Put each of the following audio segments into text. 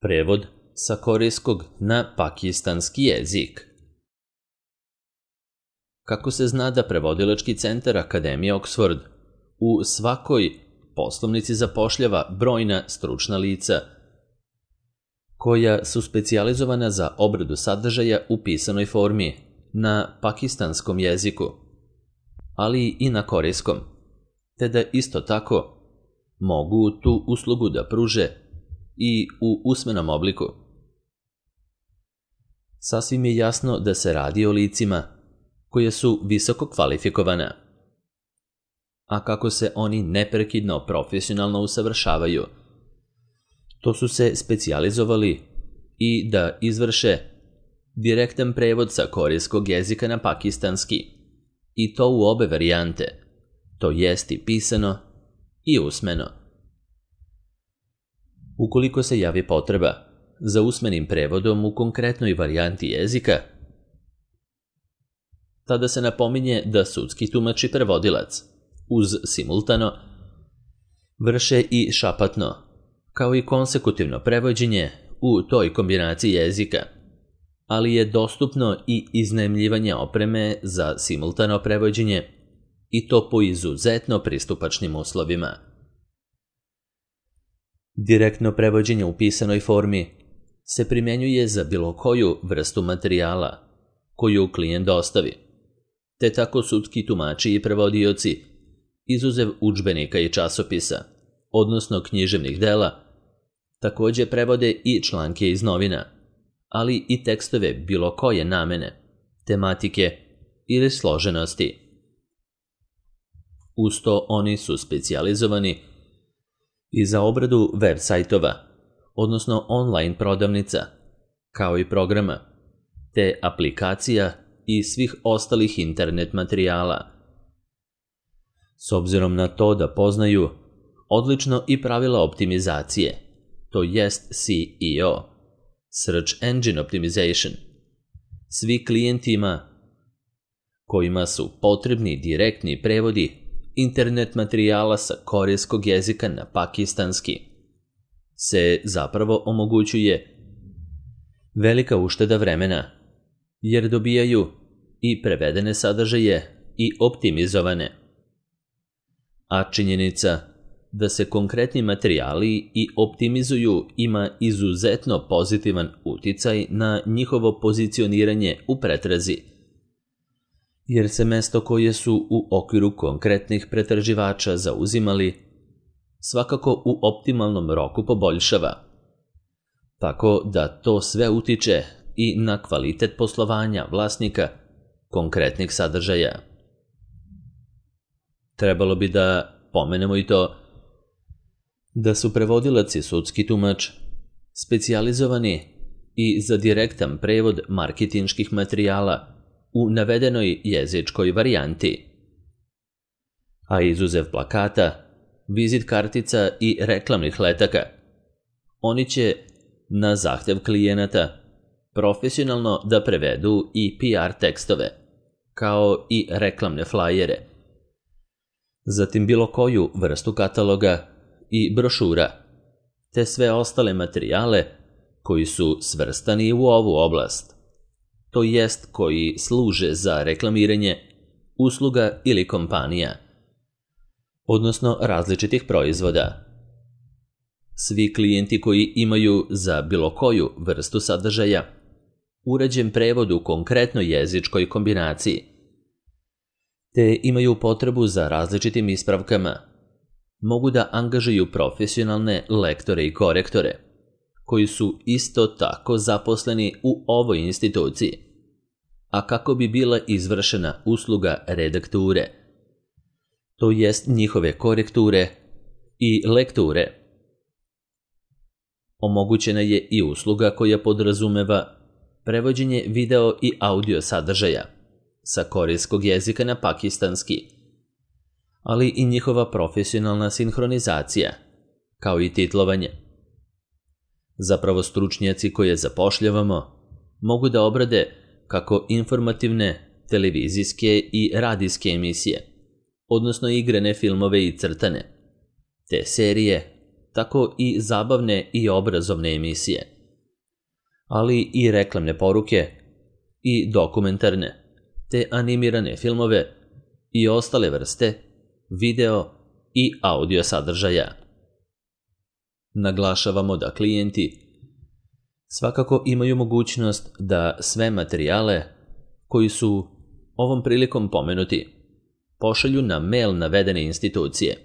Prevod sa korejskog na pakistanski jezik. Kako se zna da prevodilački centar Akademije Oxford u svakoj poslovnici zapošljava brojna stručna lica koja su specijalizovana za obradu sadržaja u pisanoj formi na pakistanskom jeziku, ali i na korejskom, te da isto tako mogu tu uslugu da pruže i u usmenom obliku. Sasvim je jasno da se radi o licima koje su visoko kvalifikovana, a kako se oni neprekidno profesionalno usavršavaju, to su se specijalizovali i da izvrše direktan prevod sa korejskog jezika na pakistanski, i to u obe varijante, to jest i pisano i usmeno. Ukoliko se javi potreba za usmenim prevodom u konkretnoj varijanti jezika, tada se napominje da sudski tumač i prevodilac, uz simultano, vrše i šapatno, kao i konsekutivno prevođenje u toj kombinaciji jezika, ali je dostupno i iznajmljivanje opreme za simultano prevođenje, i to po izuzetno pristupačnim uslovima. Direktno prevođenje u pisanoj formi se primjenjuje za bilo koju vrstu materijala koju klijent dostavi, te tako sudski tumači i prevodioci, izuzev udžbenika i časopisa, odnosno književnih dela, također prevode i članke iz novina, ali i tekstove bilo koje namene, tematike ili složenosti. Uz to oni su specijalizovani i za obradu web sajtova, odnosno online prodavnica, kao i programa, te aplikacija i svih ostalih internet materijala. S obzirom na to da poznaju odlično i pravila optimizacije, to jest SEO, Search Engine Optimization, svi klijentima kojima su potrebni direktni prevodi internet materijala sa korejskog jezika na pakistanski, se zapravo omogućuje velika ušteda vremena, jer dobijaju i prevedene sadržaje i optimizovane. A činjenica da se konkretni materijali i optimizuju ima izuzetno pozitivan uticaj na njihovo pozicioniranje u pretrazi, jer se mesto koje su u okviru konkretnih pretraživača zauzimali svakako u optimalnom roku poboljšava, tako da to sve utiče i na kvalitet poslovanja vlasnika konkretnih sadržaja. Trebalo bi da pomenemo i to da su prevodilac i sudski tumač specijalizovani i za direktan prevod marketinških materijala u navedenoj jezičkoj varijanti. A izuzev plakata, vizit kartica i reklamnih letaka, oni će na zahtev klijenata profesionalno da prevedu i PR tekstove, kao i reklamne flajere, zatim bilo koju vrstu kataloga i brošura, te sve ostale materijale koji su svrstani u ovu oblast, to jest koji služe za reklamiranje usluga ili kompanija, odnosno različitih proizvoda. Svi klijenti koji imaju za bilo koju vrstu sadržaja uređen prevod u konkretnoj jezičkoj kombinaciji, te imaju potrebu za različitim ispravkama, mogu da angažuju profesionalne lektore i korektore, koji su isto tako zaposleni u ovoj instituciji, a kako bi bila izvršena usluga redakture, to jest njihove korekture i lekture. Omogućena je i usluga koja podrazumeva prevođenje video i audio sadržaja sa korejskog jezika na pakistanski, ali i njihova profesionalna sinhronizacija, kao i titlovanje. Zapravo stručnjaci koje zapošljavamo mogu da obrade kako informativne, televizijske i radijske emisije, odnosno igrane filmove i crtane, te serije, tako i zabavne i obrazovne emisije. ali i reklamne poruke i dokumentarne, te animirane filmove i ostale vrste video i audio sadržaja. Naglašavamo da klijenti svakako imaju mogućnost da sve materijale koji su ovom prilikom pomenuti pošalju na mail navedene institucije,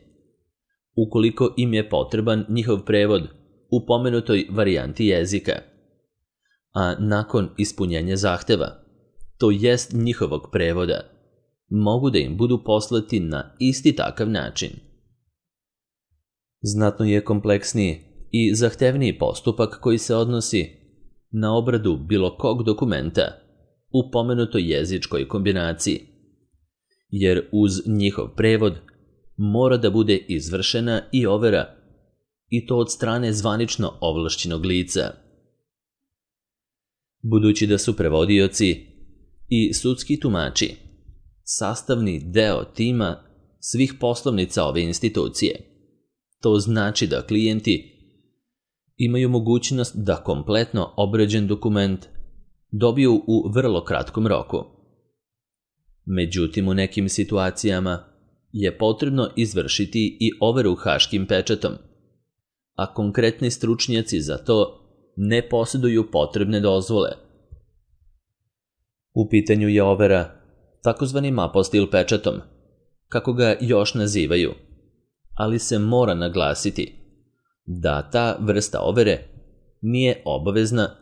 ukoliko im je potreban njihov prevod u pomenutoj varijanti jezika, a nakon ispunjenja zahteva, to jest njihovog prevoda, mogu da im budu poslati na isti takav način. Znatno je kompleksniji i zahtevniji postupak koji se odnosi na obradu bilo kog dokumenta u pomenutoj jezičkoj kombinaciji, jer uz njihov prevod mora da bude izvršena i overa, i to od strane zvanično ovlašćenog lica. Budući da su prevodioci i sudski tumači sastavni deo tima svih poslovnica ove institucije, to znači da klijenti imaju mogućnost da kompletno obrađen dokument dobiju u vrlo kratkom roku. Međutim, u nekim situacijama je potrebno izvršiti i overu haškim pečatom, a konkretni stručnjaci za to ne posjeduju potrebne dozvole. U pitanju je overa takozvanim apostil pečatom, kako ga još nazivaju, ali se mora naglasiti da ta vrsta overe nije obavezna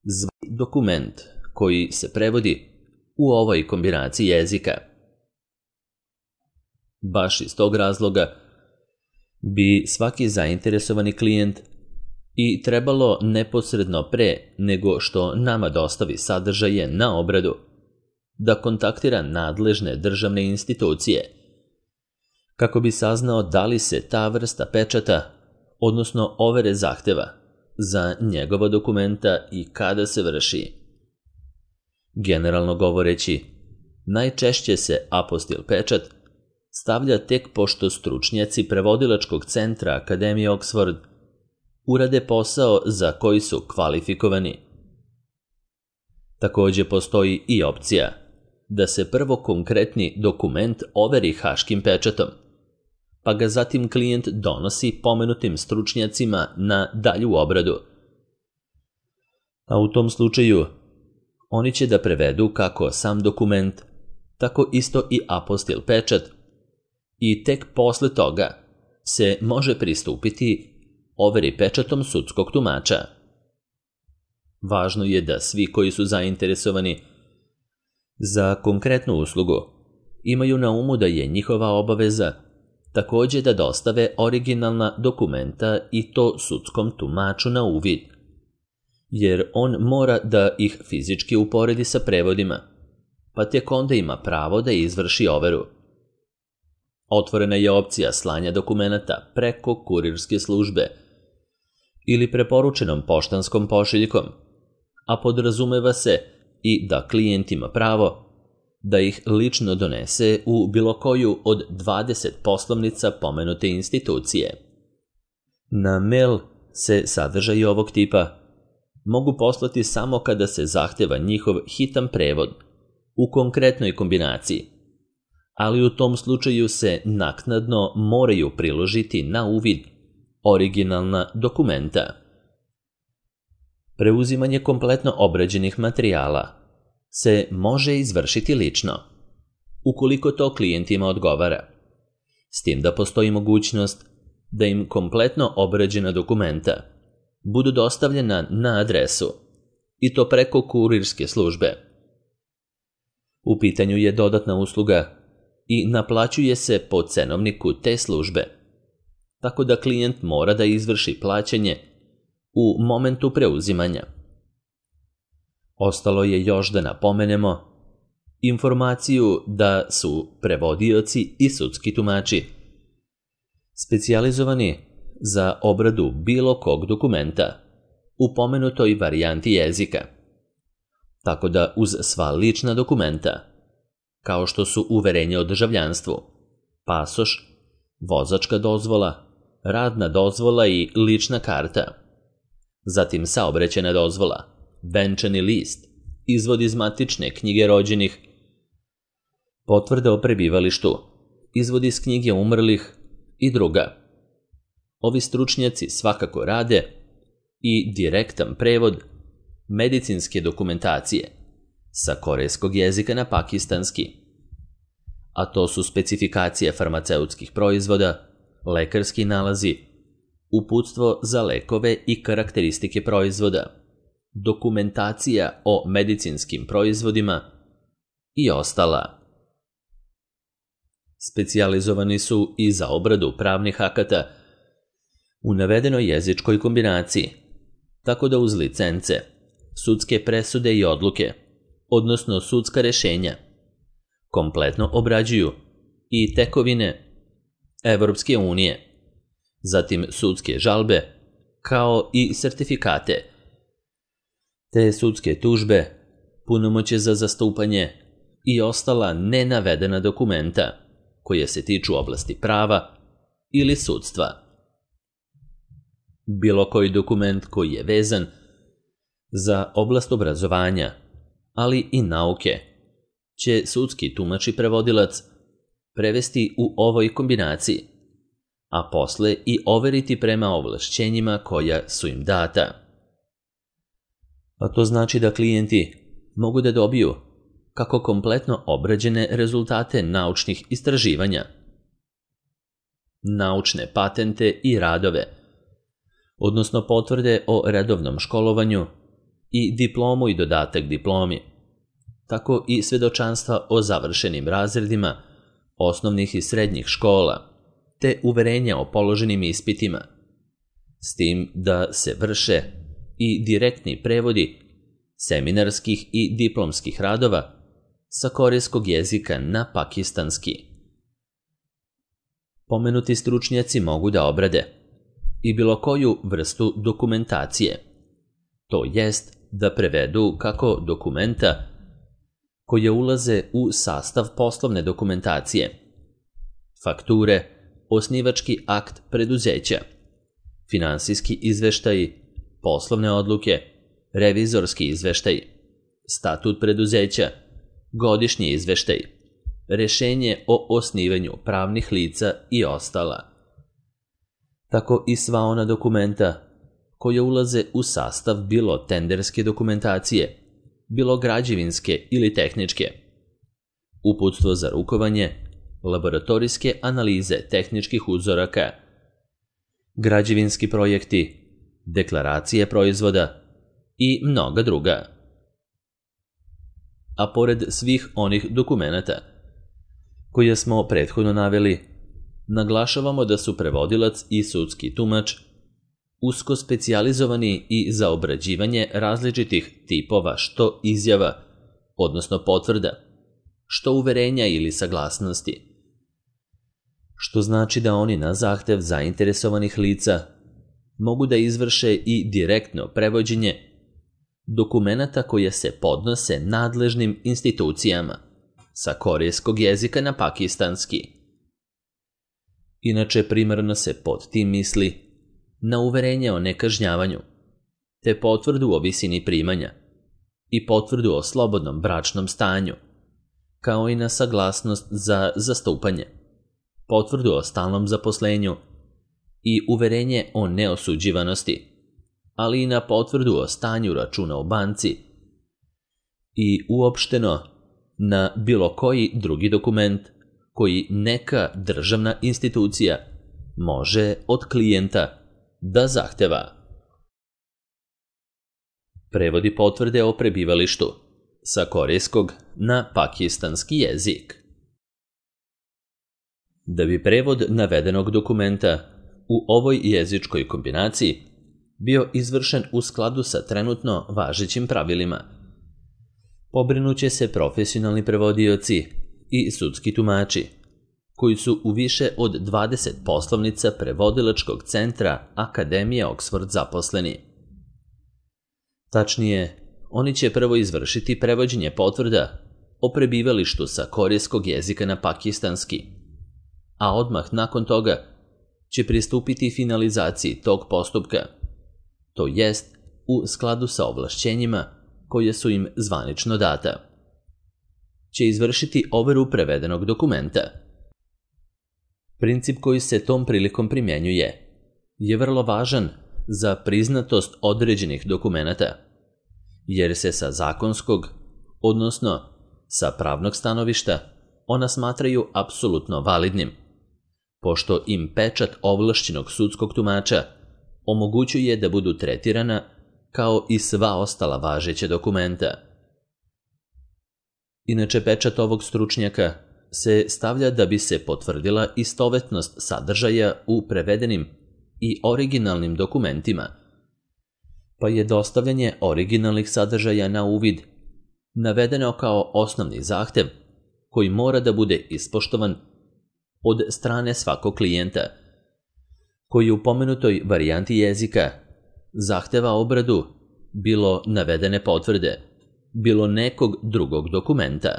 za dokument koji se prevodi u ovoj kombinaciji jezika. Baš iz tog razloga bi svaki zainteresovani klijent i trebalo neposredno pre nego što nama dostavi sadržaje na obradu da kontaktira nadležne državne institucije kako bi saznao da li se ta vrsta pečata, odnosno overe zahteva za njegova dokumenta i kada se vrši. Generalno govoreći, najčešće se apostil pečat stavlja tek pošto stručnjaci prevodilačkog centra Akademije Oxford urade posao za koji su kvalifikovani. Također postoji i opcija da se prvo konkretni dokument overi haškim pečatom, pa ga zatim klijent donosi pomenutim stručnjacima na dalju obradu. A u tom slučaju oni će da prevedu kako sam dokument, tako isto i apostil pečat, i tek posle toga se može pristupiti overi pečatom sudskog tumača. Važno je da svi koji su zainteresovani za konkretnu uslugu imaju na umu da je njihova obaveza također da dostave originalna dokumenta i to sudskom tumaču na uvid, jer on mora da ih fizički uporedi sa prevodima, pa tek onda ima pravo da izvrši overu. Otvorena je opcija slanja dokumenata preko kurirske službe ili preporučenom poštanskom pošiljkom, a podrazumeva se i da klijent ima pravo da ih lično donese u bilo koju od 20 poslovnica pomenute institucije. Na mail se sadržaji ovog tipa mogu poslati samo kada se zahteva njihov hitan prevod u konkretnoj kombinaciji, ali u tom slučaju se naknadno moraju priložiti na uvid originalna dokumenta. Preuzimanje kompletno obrađenih materijala se može izvršiti lično, ukoliko to klijentima odgovara, s tim da postoji mogućnost da im kompletno obrađena dokumenta budu dostavljena na adresu, i to preko kurirske službe. U pitanju je dodatna usluga i naplaćuje se po cenovniku te službe, tako da klijent mora da izvrši plaćanje u momentu preuzimanja. Ostalo je još da napomenemo informaciju da su prevodioci i sudski tumači specijalizovani za obradu bilo kog dokumenta u pomenutoj varijanti jezika, tako da uz sva lična dokumenta, kao što su uverenje o državljanstvu, pasoš, vozačka dozvola, radna dozvola i lična karta, zatim saobraćajna dozvola, venčani list, izvod iz matične knjige rođenih, potvrda o prebivalištu, izvod iz knjige umrlih i druga. Ovi stručnjaci svakako rade i direktan prevod medicinske dokumentacije sa korejskog jezika na pakistanski, a to su specifikacije farmaceutskih proizvoda, lekarski nalazi, uputstvo za lekove i karakteristike proizvoda, dokumentacija o medicinskim proizvodima i ostala. Specijalizovani su i za obradu pravnih akata u navedenoj jezičkoj kombinaciji, tako da uz licence, sudske presude i odluke, odnosno sudska rešenja, kompletno obrađuju i tekovine Evropske unije, zatim sudske žalbe, kao i sertifikate, te sudske tužbe, punomoćje za zastupanje i ostala nenavedena dokumenta koje se tiču oblasti prava ili sudstva. Bilo koji dokument koji je vezan za oblast obrazovanja, ali i nauke, će sudski tumač i prevodilac prevesti u ovoj kombinaciji, a posle i overiti prema ovlašćenjima koja su im data. A to znači da klijenti mogu da dobiju kako kompletno obrađene rezultate naučnih istraživanja, naučne patente i radove, odnosno potvrde o redovnom školovanju i diplomu i dodatak diplomi, tako i svedočanstva o završenim razredima osnovnih i srednjih škola, te uverenja o položenim ispitima, s tim da se vrše i direktni prevodi seminarskih i diplomskih radova sa korejskog jezika na pakistanski. Pomenuti stručnjaci mogu da obrade i bilo koju vrstu dokumentacije, to jest da prevedu kako dokumenta koje ulaze u sastav poslovne dokumentacije, fakture, osnivački akt preduzeća, finansijski izveštaji, poslovne odluke, revizorski izveštaj, statut preduzeća, godišnji izveštaj, rešenje o osnivanju pravnih lica i ostala. Tako i sva ona dokumenta koje ulaze u sastav bilo tenderske dokumentacije, bilo građevinske ili tehničke, uputstvo za rukovanje, laboratorijske analize tehničkih uzoraka, građevinski projekti, deklaracije proizvoda i mnoga druga. A pored svih onih dokumenata koje smo prethodno naveli, naglašavamo da su prevodilac i sudski tumač usko specijalizovani i za obrađivanje različitih tipova što izjava, odnosno potvrda, što uverenja ili saglasnosti, što znači da oni na zahtev zainteresovanih lica mogu da izvrše i direktno prevođenje dokumenata koje se podnose nadležnim institucijama sa korejskog jezika na pakistanski. Inače, primarno se pod tim misli na uverenje o nekažnjavanju, te potvrdu o visini primanja i potvrdu o slobodnom bračnom stanju, kao i na saglasnost za zastupanje, potvrdu o stalnom zaposlenju i uverenje o neosuđivanosti, ali i na potvrdu o stanju računa u banci i uopšteno na bilo koji drugi dokument koji neka državna institucija može od klijenta da zahteva. Prevodi potvrde o prebivalištu sa korejskog na pakistanski jezik. Da bi prevod navedenog dokumenta u ovoj jezičkoj kombinaciji bio izvršen u skladu sa trenutno važećim pravilima, pobrinuće se profesionalni prevodioci i sudski tumači, koji su u više od 20 poslovnica prevodilačkog centra Akademije Oxford zaposleni. Tačnije, oni će prvo izvršiti prevođenje potvrda o prebivalištu sa korejskog jezika na pakistanski, a odmah nakon toga će pristupiti finalizaciji tog postupka, to jest u skladu sa ovlašćenjima koje su im zvanično data, će izvršiti overu prevedenog dokumenta. Princip koji se tom prilikom primjenjuje je vrlo važan za priznatost određenih dokumenata, jer se sa zakonskog, odnosno sa pravnog stanovišta, ona smatraju apsolutno validnim, pošto im pečat ovlašćenog sudskog tumača omogućuje da budu tretirana kao i sva ostala važeća dokumenta. Inače, pečat ovog stručnjaka se stavlja da bi se potvrdila istovetnost sadržaja u prevedenim i originalnim dokumentima, pa je dostavljanje originalnih sadržaja na uvid navedeno kao osnovni zahtev koji mora da bude ispoštovan od strane svakog klijenta, koji u pomenutoj varijanti jezika zahteva obradu bilo navedene potvrde, bilo nekog drugog dokumenta.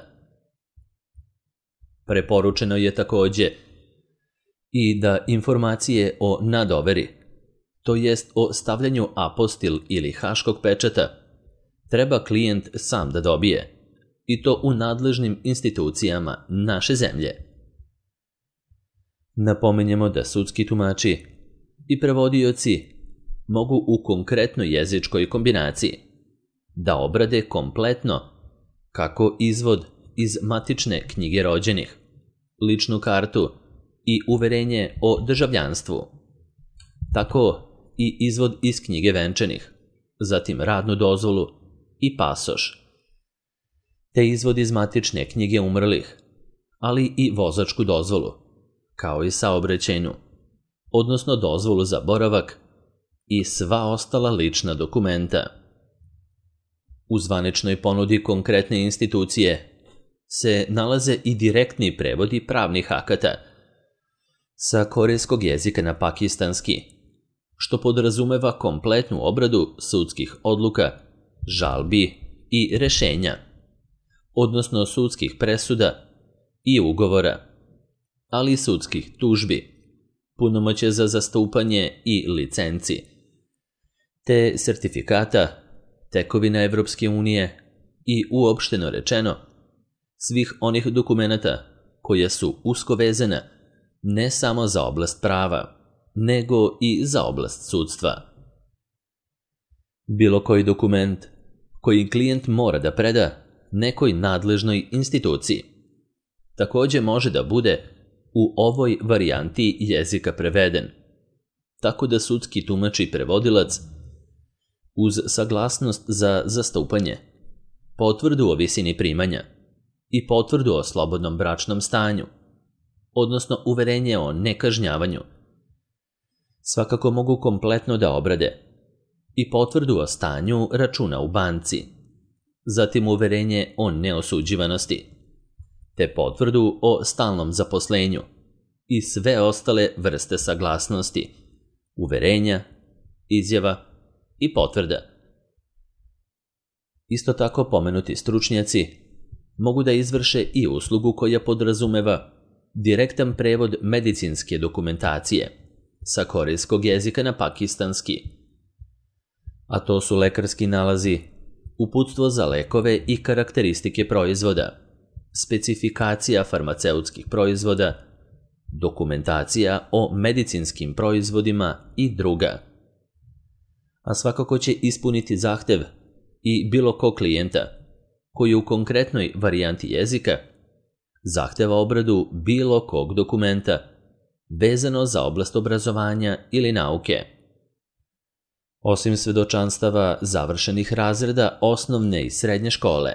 Preporučeno je takođe i da informacije o nadoveri, to jest o stavljanju apostil ili haškog pečata, treba klijent sam da dobije, i to u nadležnim institucijama naše zemlje. Napominjemo da sudski tumači i prevodioci mogu u konkretnoj jezičkoj kombinaciji da obrade kompletno kako izvod iz matične knjige rođenih, ličnu kartu i uverenje o državljanstvu, tako i izvod iz knjige venčanih, zatim radnu dozvolu i pasoš, te izvod iz matične knjige umrlih, ali i vozačku dozvolu, kao i saobraćajnu, odnosno dozvolu za boravak i sva ostala lična dokumenta. U zvaničnoj ponudi konkretne institucije se nalaze i direktni prevodi pravnih akata sa korejskog jezika na pakistanski, što podrazumeva kompletnu obradu sudskih odluka, žalbi i rešenja, odnosno sudskih presuda i ugovora, ali i sudskih tužbi, punomoćja za zastupanje i licenci, te sertifikata, tekovina Evropske unije i uopšteno rečeno svih onih dokumenata koja su usko vezana ne samo za oblast prava, nego i za oblast sudstva. Bilo koji dokument koji klijent mora da preda nekoj nadležnoj instituciji takođe može da bude u ovoj varijanti jezika preveden, tako da sudski tumač i prevodilac uz saglasnost za zastupanje, potvrdu o visini primanja i potvrdu o slobodnom bračnom stanju, odnosno uverenje o nekažnjavanju, svakako mogu kompletno da obrade i potvrdu o stanju računa u banci, zatim uverenje o neosuđivanosti, te potvrdu o stalnom zaposlenju i sve ostale vrste saglasnosti, uverenja, izjava i potvrda. Isto tako pomenuti stručnjaci mogu da izvrše i uslugu koja podrazumeva direktan prevod medicinske dokumentacije sa korejskog jezika na pakistanski, a to su lekarski nalazi, uputstvo za lekove i karakteristike proizvoda, specifikacija farmaceutskih proizvoda, dokumentacija o medicinskim proizvodima i druga. A svakako će ispuniti zahtev i bilo ko klijenta koji u konkretnoj varijanti jezika zahteva obradu bilo kog dokumenta vezano za oblast obrazovanja ili nauke. Osim svedočanstava završenih razreda osnovne i srednje škole,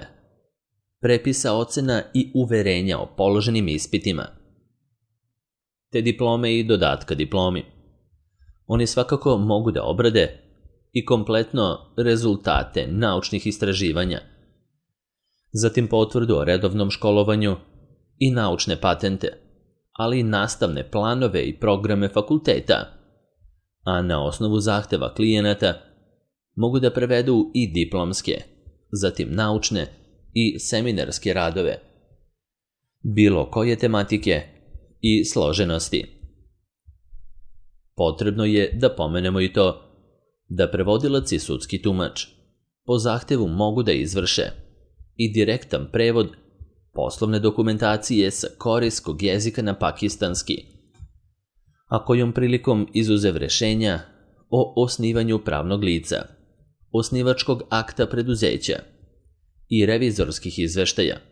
prepisa ocena i uverenja o položenim ispitima, te diplome i dodatka diplomi, oni svakako mogu da obrade i kompletno rezultate naučnih istraživanja, zatim potvrdu o redovnom školovanju i naučne patente, ali i nastavne planove i programe fakulteta, a na osnovu zahteva klijenata mogu da prevedu i diplomske, zatim naučne i seminarske radove, bilo koje tematike i složenosti. Potrebno je da pomenemo i to da prevodilac i sudski tumač po zahtevu mogu da izvrše i direktan prevod poslovne dokumentacije sa korejskog jezika na pakistanski, a kojom prilikom izuzev rešenja o osnivanju pravnog lica, osnivačkog akta preduzeća i revizorskih izveštaja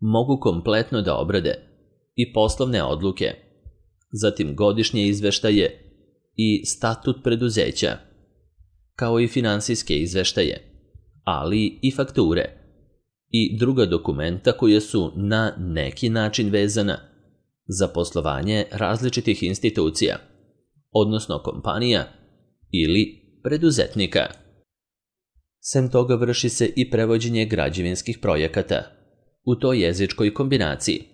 mogu kompletno da obrade i poslovne odluke, zatim godišnje izveštaje i statut preduzeća, kao i finansijske izveštaje, ali i fakture i druga dokumenta koja su na neki način vezana za poslovanje različitih institucija, odnosno kompanija ili preduzetnika. Sem toga vrši se i prevođenje građevinskih projekata u toj jezičkoj kombinaciji,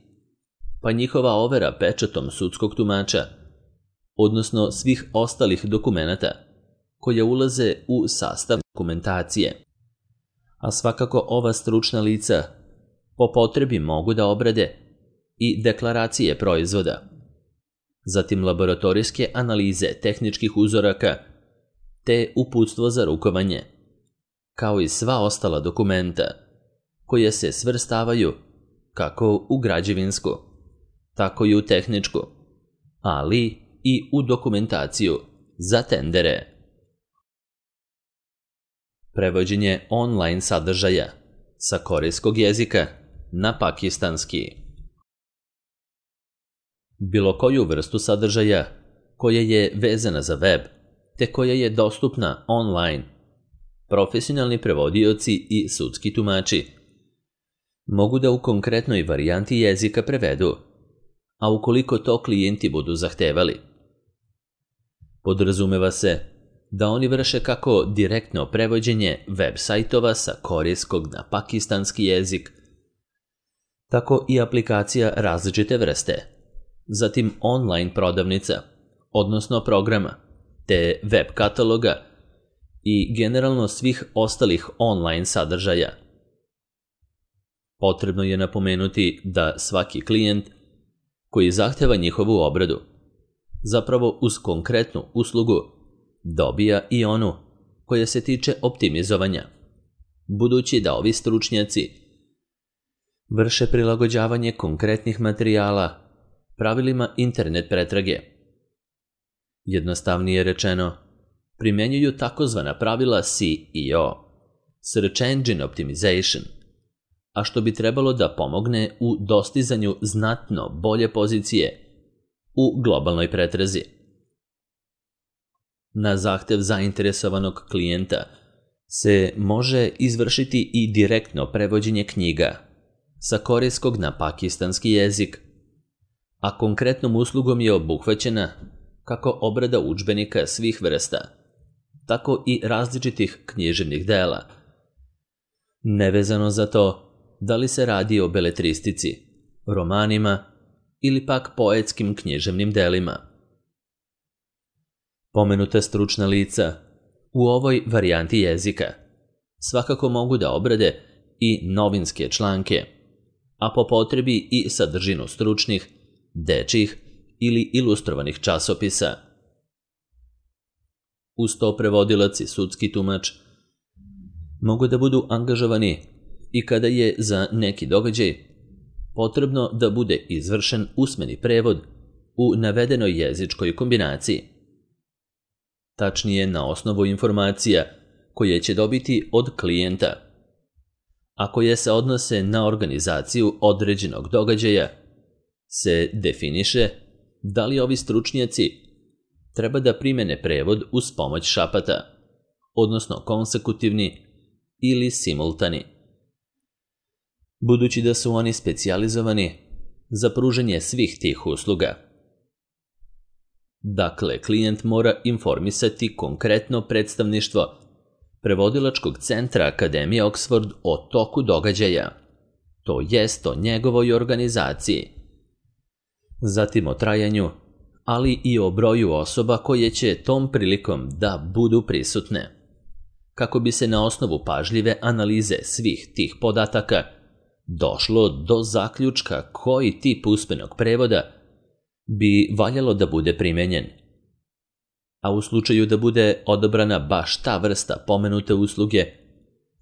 pa njihova overa pečatom sudskog tumača, odnosno svih ostalih dokumenata koje ulaze u sastav dokumentacije. A svakako ova stručna lica po potrebi mogu da obrade i deklaracije proizvoda, zatim laboratorijske analize tehničkih uzoraka te uputstvo za rukovanje, kao i sva ostala dokumenta koje se svrstavaju kako u građevinsku, tako i u tehničku, ali i u dokumentaciju za tendere. Prevođenje online sadržaja sa korejskog jezika na pakistanski. Bilo koju vrstu sadržaja koja je vezana za web te koja je dostupna online, profesionalni prevodioci i sudski tumači mogu da u konkretnoj varijanti jezika prevedu, a ukoliko to klijenti budu zahtevali. Podrazumeva se da oni vrše kako direktno prevođenje web sajtova sa korejskog na pakistanski jezik, tako i aplikacija različite vrste, zatim online prodavnica, odnosno programa, te web kataloga i generalno svih ostalih online sadržaja. Potrebno je napomenuti da svaki klijent koji zahteva njihovu obradu, zapravo uz konkretnu uslugu, dobija i onu koja se tiče optimizovanja, budući da ovi stručnjaci vrše prilagođavanje konkretnih materijala pravilima internet pretrage. Jednostavnije rečeno, primenjuju takozvana pravila SEO, Search Engine Optimization, a što bi trebalo da pomogne u dostizanju znatno bolje pozicije u globalnoj pretrazi. Na zahtev zainteresovanog klijenta se može izvršiti i direktno prevođenje knjiga sa korejskog na pakistanski jezik, a konkretnom uslugom je obuhvaćena kako obrada udžbenika svih vrsta, tako i različitih književnih dela, nevezano za to da li se radi o beletristici, romanima ili pak poetskim književnim delima. Pomenuta stručna lica u ovoj varijanti jezika svakako mogu da obrade i novinske članke, a po potrebi i sadržinu stručnih, dečjih ili ilustrovanih časopisa. Uz to prevodilac i sudski tumač mogu da budu angažovani i kada je za neki događaj potrebno da bude izvršen usmeni prevod u navedenoj jezičkoj kombinaciji. Tačnije na osnovu informacija koje će dobiti od klijenta, a koje se odnose na organizaciju određenog događaja, se definiše da li ovi stručnjaci treba da primene prevod uz pomoć šapata, odnosno konsekutivni ili simultani, budući da su oni specijalizovani za pružanje svih tih usluga. Dakle, klijent mora informisati konkretno predstavništvo prevodilačkog centra Akademije Oxford o toku događaja, to jest o njegovoj organizaciji, zatim o trajanju, ali i o broju osoba koje će tom prilikom da budu prisutne, kako bi se na osnovu pažljive analize svih tih podataka došlo do zaključka koji tip usmenog prevoda bi valjalo da bude primenjen. a u slučaju da bude odabrana baš ta vrsta pomenute usluge,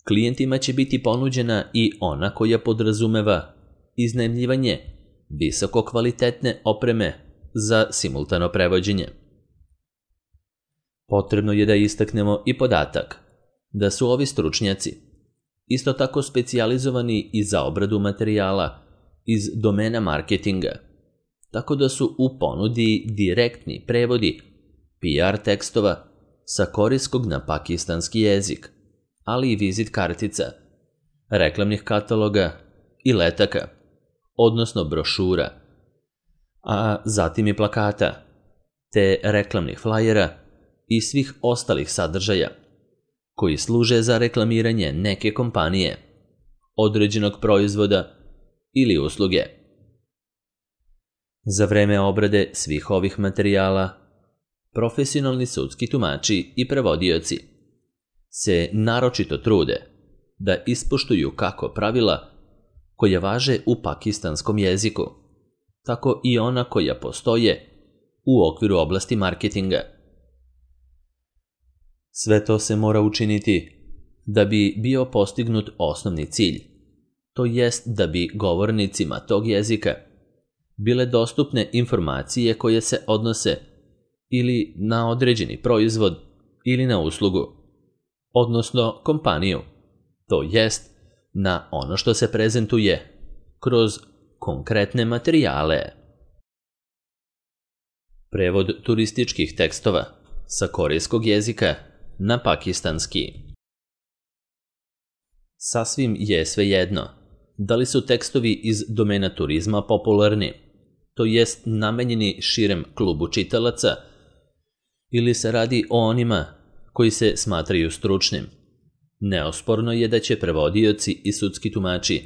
klijentima će biti ponuđena i ona koja podrazumeva iznajmljivanje visoko kvalitetne opreme za simultano prevođenje. Potrebno je da istaknemo i podatak da su ovi stručnjaci isto tako specijalizovani i za obradu materijala iz domena marketinga, tako da su u ponudi direktni prevodi PR tekstova sa korejskog na pakistanski jezik, ali i vizit kartica, reklamnih kataloga i letaka, odnosno brošura, a zatim i plakata, te reklamnih flajera i svih ostalih sadržaja koji služe za reklamiranje neke kompanije, određenog proizvoda ili usluge. Za vreme obrade svih ovih materijala, profesionalni sudski tumači i prevodioci se naročito trude da ispoštuju kako pravila koja važe u pakistanskom jeziku, tako i ona koja postoje u okviru oblasti marketinga. Sve to se mora učiniti da bi bio postignut osnovni cilj, to jest da bi govornicima tog jezika bile dostupne informacije koje se odnose ili na određeni proizvod ili na uslugu, odnosno kompaniju, to jest na ono što se prezentuje kroz konkretne materijale. Prevod turističkih tekstova sa korejskog jezika na pakistanski. Sasvim je svejedno da li su tekstovi iz domena turizma popularni, to jest namenjeni širem klubu čitalaca, ili se radi o onima koji se smatraju stručnim. Neosporno je da će prevodioci i sudski tumači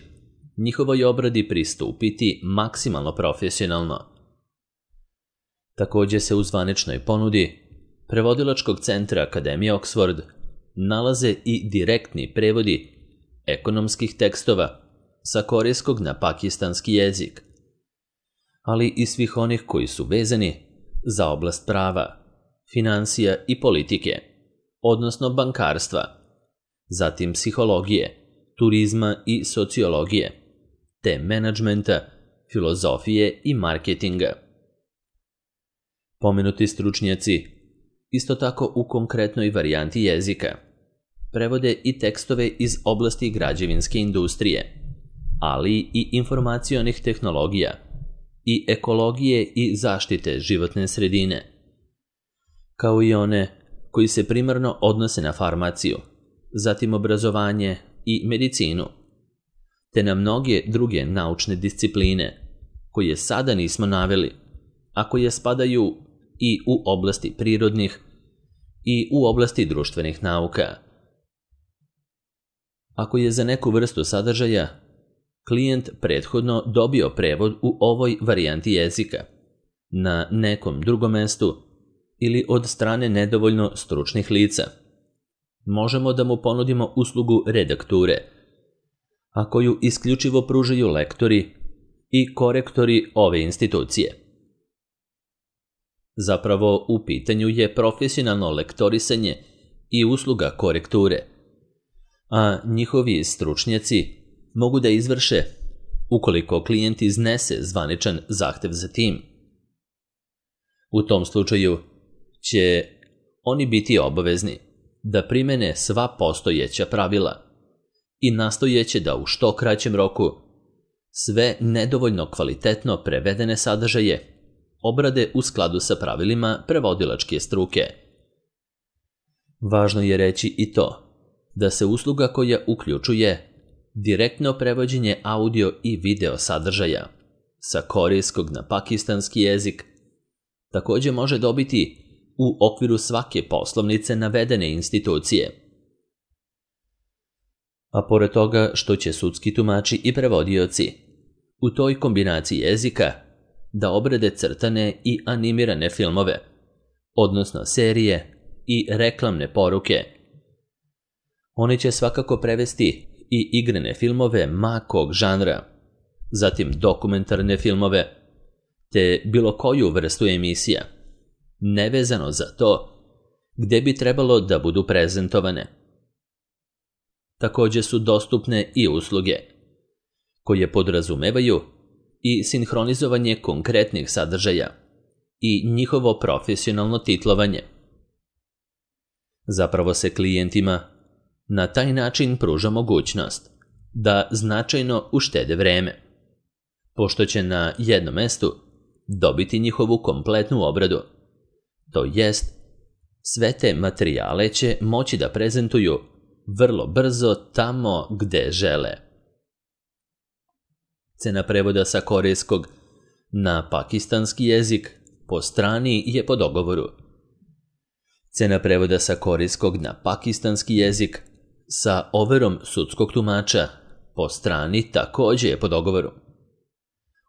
njihovoj obradi pristupiti maksimalno profesionalno. Također se u zvaničnoj ponudi Prevodilačkog centra Akademije Oxford nalaze i direktni prevodi ekonomskih tekstova sa korejskog na pakistanski jezik, ali i svih onih koji su vezani za oblast prava, finansija i politike, odnosno bankarstva, zatim psihologije, turizma i sociologije, te menadžmenta, filozofije i marketinga. Pomenuti stručnjaci isto tako u konkretnoj varijanti jezika prevode i tekstove iz oblasti građevinske industrije, ali i informacionih tehnologija i ekologije i zaštite životne sredine, kao i one koji se primarno odnose na farmaciju, zatim obrazovanje i medicinu, te na mnoge druge naučne discipline koje sada nismo naveli, a koje spadaju i u oblasti prirodnih i u oblasti društvenih nauka. Ako je za neku vrstu sadržaja klijent prethodno dobio prevod u ovoj varijanti jezika, na nekom drugom mestu ili od strane nedovoljno stručnih lica, možemo da mu ponudimo uslugu redakture, a koju isključivo pružaju lektori i korektori ove institucije. Zapravo, u pitanju je profesionalno lektorisanje i usluga korekture, a njihovi stručnjaci mogu da izvrše ukoliko klijent iznese zvaničan zahtev za tim. U tom slučaju će oni biti obavezni da primene sva postojeća pravila i nastojeće da u što kraćem roku sve nedovoljno kvalitetno prevedene sadržaje obrade u skladu sa pravilima prevodilačke struke. Važno je reći i to da se usluga koja uključuje direktno prevođenje audio i video sadržaja sa korejskog na pakistanski jezik također može dobiti u okviru svake poslovnice navedene institucije. A pored toga što će sudski tumači i prevodioci u toj kombinaciji jezika da obrade crtane i animirane filmove, odnosno serije i reklamne poruke, oni će svakako prevesti i igrane filmove ma kog žanra, zatim dokumentarne filmove, te bilo koju vrstu emisija, nevezano za to gde bi trebalo da budu prezentovane. Također su dostupne i usluge koje podrazumevaju i sinhronizovanje konkretnih sadržaja i njihovo profesionalno titlovanje. Zapravo se klijentima na taj način pruža mogućnost da značajno uštede vreme, pošto će na jednom mestu dobiti njihovu kompletnu obradu, to jest sve te materijale će moći da prezentuju vrlo brzo tamo gde žele. Cena prevoda sa korejskog na pakistanski jezik po strani je po dogovoru. Cena prevoda sa korejskog na pakistanski jezik sa overom sudskog tumača po strani također je po dogovoru.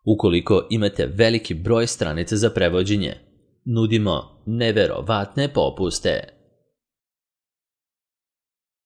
Ukoliko imate veliki broj stranica za prevođenje, nudimo neverovatne popuste.